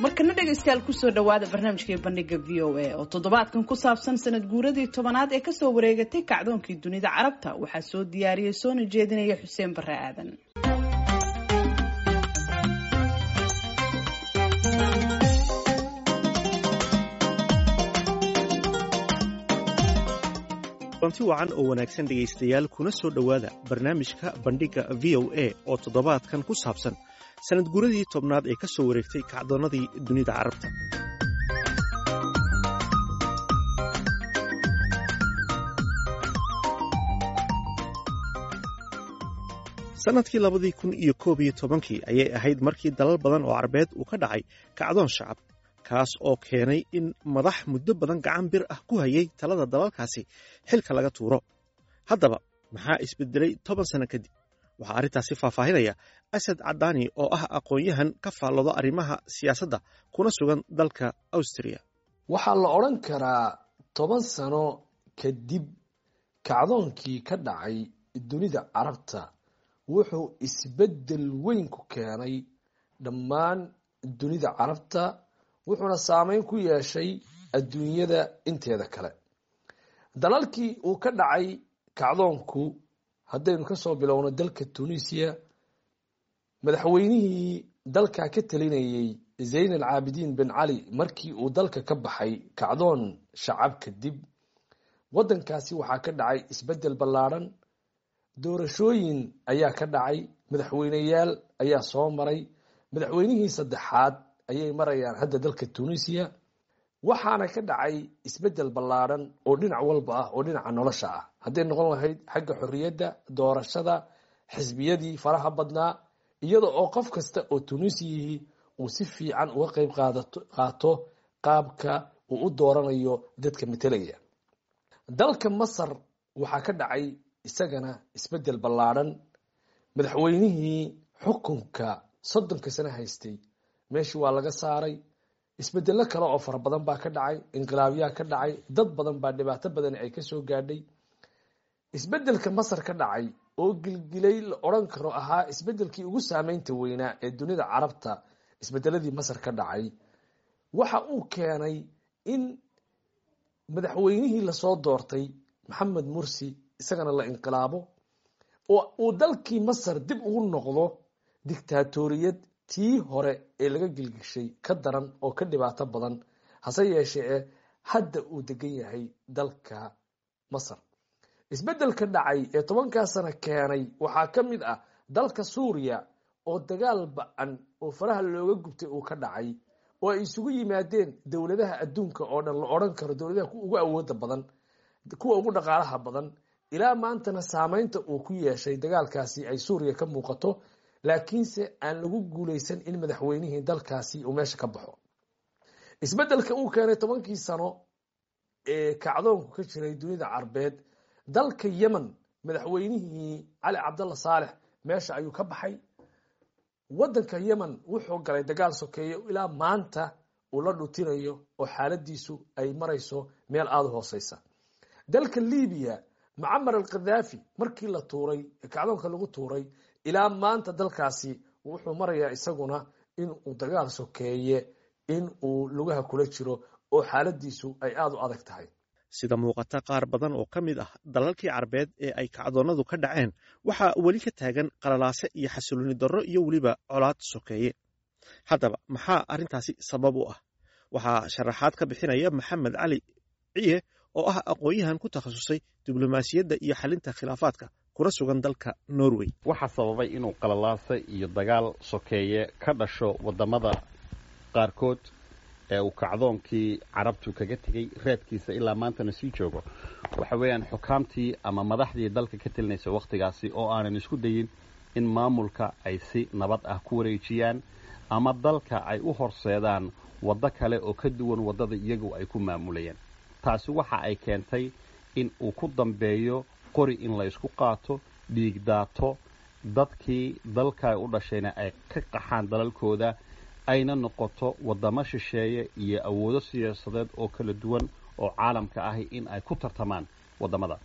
Markana dhegaystayaal, kusoo dhawaada barnaamijkii Bandhiga VOA oo toddobaadkan ku saabsan sanad guuradii 10aad ee kasoo wareegatay kacdoonkii dunida Carabta. Waxaa soo diyaariyey soona jeedinaya Xuseen Bare Aadan. Kulanti wacan oo wanaagsan dhegaystayaal, kuna soo dhowaada barnaamijka Bandhigga VOA oo toddobaadkan ku saabsan sanad guuradii 10aad ee ka soo wareegtay kacdoonnadii dunida Carabta. Sannadkii 2011-kii ayay ahayd markii dalal badan oo Carbeed uu ka dhacay kacdoon shacab, kaas oo keenay in madax muddo badan gacan bir ah ku hayay talada dalalkaasi xilka laga tuuro. Haddaba, maxaa isbedelay 10 sano kadib? Waxaa arrintaasi faahfaahinaya Asad Cadaani oo ah aqoon-yahan ka faallooda arrimaha siyaasadda kuna sugan dalka Austria. Waxaa la odhan karaa 10 sano kadib kacdoonkii ka dhacay dunida Carabta wuxuu isbeddel weyn ku keenay dhammaan dunida Carabta, wuxuuna saameyn ku yeeshay adduunyada inteeda kale. Dalalkii uu ka dhacay kacdoonku, haddaynu kasoo bilowno dalka Tunisia, madaxweynihii dalka ka talinayey Zayn Alcaabidiin Ben Cali markii uu dalka ka baxay kacdoon shacab kadib, waddankaasi waxaa ka dhacay isbeddel ballaadhan. Doorashooyin ayaa ka dhacay, madaxweyneyaal ayaa soo maray, madaxweynihii saddexaad ayay marayaan hadda dalka Tunisia. Waxaana ka dhacay isbeddel ballaadhan oo dhinac walba ah, oo dhinaca nolosha ah, hadday noqon lahayd xagga xorriyadda, doorashada, xisbiyadii faraha badnaa, iyada oo qof kasta oo Tunisiyihii uu si fiican uga qeyb qaato qaabka uu u dooranayo dadka metelaya. Dalka Masar waxaa ka dhacay isagana isbeddel ballaadhan. Madaxweynihii xukunka 30-ka sano haystay meeshii waa laga saaray. Isbedello kale oo fara badan baa ka dhacay, inqilaabyaa ka dhacay, dad badan baa dhibaato badani ay kasoo gaadhay. Isbedelka Masar ka dhacay oo gilgilay la odhan karo ahaa isbedelkii ugu saameynta weynaa ee dunida Carabta, isbedeladii Masar ka dhacay waxa uu keenay in madaxweynihii lasoo doortay Maxamed Mursi isagana la inqilaabo oo uu dalkii Masar dib ugu noqdo dictaatoriyad tii hore ee laga gilgishay ka daran oo ka dhibaato badan, hase yeeshee hadda uu degan yahay dalka Masar. Isbeddelka dhacay ee 10-kaa sano keenay waxaa ka mid ah dalka Suuriya oo dagaal ba-an oo faraha looga gubtay uu ka dhacay, oo ay isugu yimaadeen dowladaha adduunka oo dhan, la odhan karo dowladaha ugu awooda badan, kuwa ugu dhaqaalaha badan, ilaa maantana saameynta uu ku yeeshay dagaalkaasi ay Suuriya ka muuqato, laakiinse aan lagu guuleysan in madaxweynihii dalkaasi uu meesha ka baxo. Isbeddelka uu keenay 10-kii sano ee kacdoonku ka jiray dunida Carbeed, dalka Yemen madaxweynihii Cali Cabdalla Saalex meesha ayuu ka baxay. Waddanka Yemen wuxuu galay dagaal sokeeyo ilaa maanta uu la dhutinayo oo xaaladiisu ay marayso meel aada u hooseysa. Dalka Libiya, Mucamar Alkhadaafi markii la tuuray, kacdoonka lagu tuuray, ilaa maanta dalkaasi wuxuu marayaa isaguna in uu dagaal sokeeye in uu lugaha kula jiro oo xaaladiisu ay aada u adag tahay. Sida muuqata, qaar badan oo ka mid ah dalalkii Carbeed ee ay kacdoonnadu ka dhaceen waxaa weli ka taagan qalalaase iyo xasilooni darro iyo weliba colaad sokeeye. Haddaba, maxaa arrintaasi sabab u ah? Waxaa sharaxaad ka bixinaya Maxamed Cali Ciye oo ah aqoon-yahan ku takhasusay diblomaasiyadda iyo xalinta khilaafaadka kuna sugan dalka Norway. Waxaa sababay inuu qalalaase iyo dagaal sokeeye ka dhasho waddamada qaarkood ee uu kacdoonkii Carabtu kaga tegey reebkiisa ilaa maantana sii joogo waxa weeyaan xukaamtii ama madaxdii dalka ka telinaysa wakhtigaasi oo aanan isku dayin in maamulka ay si nabad ah ku wareejiyaan ama dalka ay u horseedaan waddo kale oo ka duwan waddada iyagu ay ku maamulayeen. Taasi waxa ay keentay in uu ku dambeeyo qori in la isku qaato, dhiig daato, dadkii dalka u dhashayna ay ka qaxaan dalalkooda, ayna noqoto waddamo shisheeye iyo awoodo siyaasadeed oo kala duwan oo caalamka ahi in ay ku tartamaan waddamada,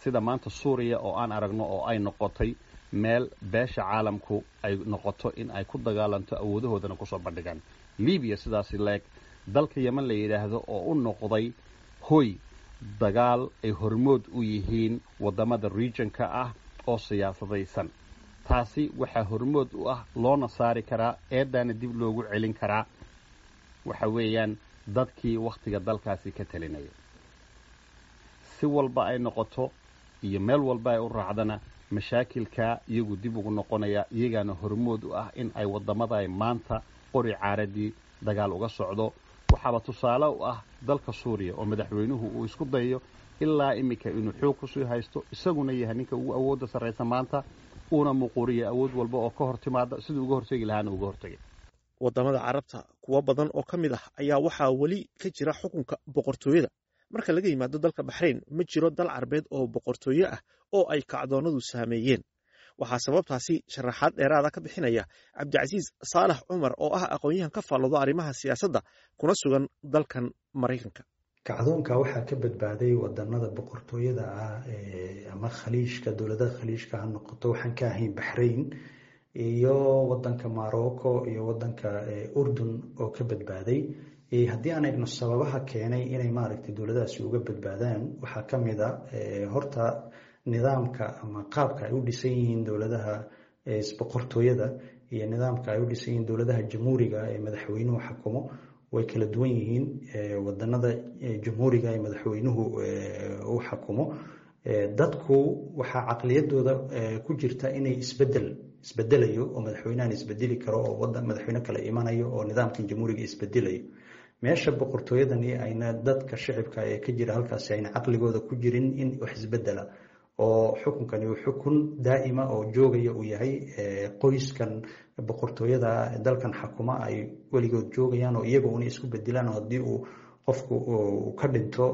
sida maanta Suuriya oo aan aragno oo ay noqotay meel beesha caalamku ay noqoto in ay ku dagaalanto, awoodahoodana kusoo bandhigaan. Libiya sidaasi leeg, dalka Yeman la yidhaahdo oo u noqday hoy dagaal ay hormood u yihiin waddamada regionka ah oo siyaasadaysan. Taasi waxaa hormood u ah, loona saari karaa, eeddaana dib loogu celin karaa, waxa weeyaan dadkii wakhtiga dalkaasi ka talinaya. Si walba ay noqoto iyo meel walba ay u raacdana, mashaakilkaa iyagu dib ugu noqonaya, iyagaana hormood u ah in ay waddamada ay maanta qori caaradii dagaal uga socdo. Waxaaba tusaale u ah dalka Suuriya oo madaxweynuhu uu isku dayayo ilaa iminka inuu xoog kusii haysto, isaguna yahay ninka ugu awoodda sarraysa maanta, uuna muquuriya awood walba oo ka hor timaada, siduu uga hortegi lahaana uga hortegay. Wadamada Carabta kuwo badan oo ka mid ah ayaa waxaa weli ka jira xukunka boqortooyada. Marka laga yimaado dalka Baxrayn, ma jiro dal Carbeed oo boqortooye ah oo ay kacdoonadu saameeyeen. Waxaa sababtaasi sharaxaad dheeraada ka bixinaya Cabdicasiis Saalax Cumar oo ah aqoon-yahan ka faalloodo arrimaha siyaasadda kuna sugan dalkan Maraykanka. Kacdoonka waxaa ka badbaaday wadanada boqortooyada ah ama Khaliijka, dowladaha Khaliijka ha noqoto, waxaan ka ahayn Baxrayn iyo wadanka Morocco iyo wadanka Urdun oo ka badbaaday. Haddii aan eegno sababaha keenay inay maaragtay dowladahaasi uga badbaadaan, waxaa ka mid a horta nidaamka ama qaabka ay u dhisan yihiin dowladaha boqortooyada iyo nidaamka ay u dhisan yihiin dowladaha jamhuuriga ee madaxweynuhu xakumo way kala duwan yihiin. Wadanada jamhuuriga ee madaxweynuhu uu xakumo, dadku waxaa caqliyadooda ku jirta inay isbedel isbedelayo oo madaxweynahan isbedeli karo oo wadan madaxweyne kale imanayo oo nidaamkan jamhuuriga isbedelayo, meesha boqortooyadani ayna dadka shicibka ee ka jira halkaasi ayna caqligooda ku jirin in wax isbedela oo xukunkani uu xukun daa'ima oo joogaya uu yahay, qoyskan boqortooyada dalkan xakuma ay weligood joogayaan oo iyaga una isku bedelaan, oo haddii uu qofku uu ka dhinto,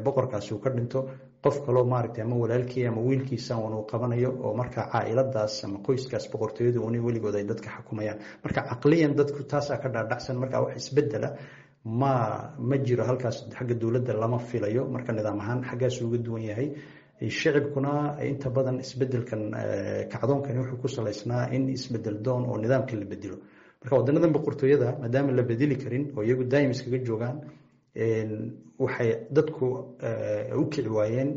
boqorkaasi uu ka dhinto, qof kaloo maaragtay ama walaalkii ama wiilkiisa un uu qabanayo, oo marka caa'iladaas ama qoyskaas boqortooyadu una weligood ay dadka xakumayaan. Marka caqliyan dadku taasaa ka dhaadhacsan, marka wax isbedela ma jiro halkaas, xagga dowladda lama filayo. Marka nidaam ahaan xaggaas uga duwan yahay. Shicibkuna inta badan isbedelkan kacdoonkani wuxuu ku salaysnaa in isbedel doon oo nidaamka la bedelo. Marka wadanadan boqortooyada maadaama la bedeli karin oo iyagu daa'im iskaga joogaan, waxay dadku u kici waayeen,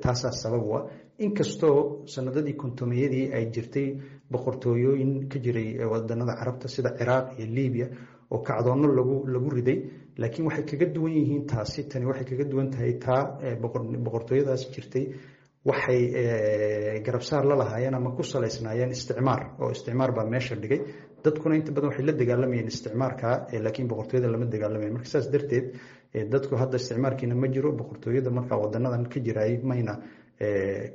taasaa sabab u ah. Inkastoo sanadadii 50-meyadii ay jirtay boqortooyooyin ka jiray wadanada Carabta sida Ciraaq iyo Libiya oo kacdoonno lagu riday, laakiin waxay kaga duwan yihiin taasi, tani waxay kaga duwan tahay taa boqortooyadaas jirtay, waxay garabsaar la lahaayeen ama ku salaysnaayeen isticmaar, oo isticmaar baa meesha dhigay. Dadkuna inta badan waxay la dagaalamayeen isticmaarka, laakiin boqortooyada lama dagaalamayan. Marka saas darteed dadku hadda isticmaarkiina ma jiro, boqortooyada marka wadanadan ka jiraay mayna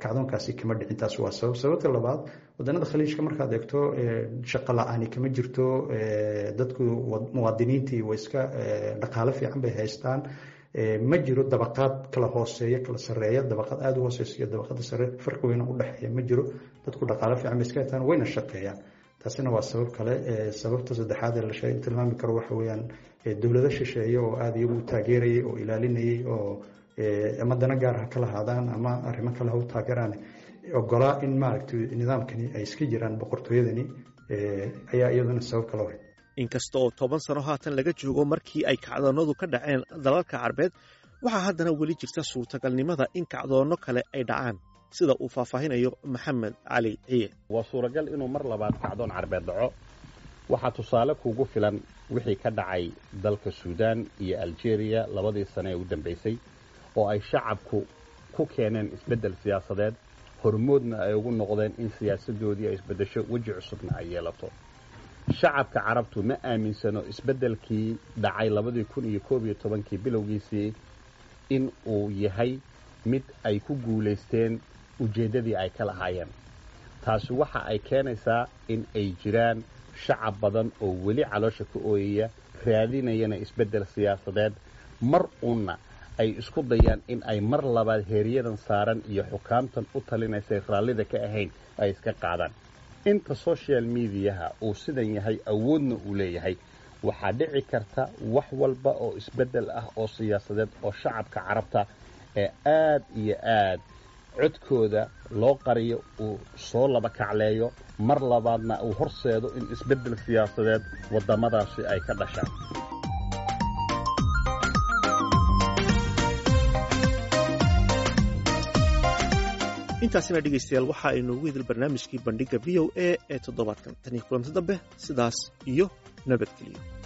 kacdoonkaasi kama dhicin. Taas waa sabab. Sababta labaad, wadanada Khaliijka markaad eegto shaqo la-aani kama jirto, dadku muwaadiniintii way iska dhaqaalo fiican bay haystaan, ma jiro dabaqaad kala hooseeya kala sareeya, dabaqad aada u hooseysa iyo dabaqada sare farqi weyna u dhexeeya ma jiro. Dadku dhaqaalo fiican bay iska haystaan, wayna shaqeeyaan. Taasina waa sabab kale. Sababta saddexaad ee la sheeg tilmaami karo waxa weeyaan dowlado shisheeye oo aada iyagu u taageerayay oo ilaalinayay oo ama dana gaar ha kala haadaan ama arrimo kale ha u taageeraan, ogolaa in maaragtay nidaamkani ay iska jiraan boqortooyadani, ayaa iyaduna sabab kale ahayd. Inkasta oo 10 sano haatan laga joogo markii ay kacdoonnadu ka dhaceen dalalka Carbeed, waxaa haddana weli jirta suurtagalnimada in kacdoonno kale ay dhacaan, sida uu faahfaahinayo Maxamed Cali Ciye. Waa suuragal inuu mar labaad kacdoon Carbeed dhaco. Waxaa tusaale kuugu filan wixii ka dhacay dalka Suudaan iyo Algeria labadii sane ee u dambaysay, oo ay shacabku ku keeneen isbeddel siyaasadeed, hormoodna ay ugu noqdeen in siyaasaddoodii ay isbeddesho, weji cusubna ay yeelato. Shacabka Carabtu ma aaminsano isbeddelkii dhacay 2011-kii bilowgiisii in uu yahay mid ay ku guulaysteen ujeeddadii ay ka lahaayeen. Taasi waxa ay keenaysaa in ay jiraan shacab badan oo weli caloosha ka ooyaya, raadinayana isbeddel siyaasadeed, mar uunna ay isku dayaan in ay mar labaad heeryadan saaran iyo xukaamtan u talinaysay raallida ka ahayn ay iska qaadaan. Inta social mediaha uu sidan yahay, awoodna uu leeyahay, waxaa dhici karta wax walba oo isbeddel ah oo siyaasadeed oo shacabka Carabta ee aad iyo aad Codkooda loo qariyo uu soo laba kacleeyo mar labaadna uu horseedo in isbeddel siyaasadeed waddamadaasi ay ka dhashaan. Intaasina, dhegaystayaal, waxa aynu ugu idil barnaamijkii Bandhigga VOA ee toddobaadkan. Tan iyo kulanti dambe, sidaas iyo nabadgeliyo.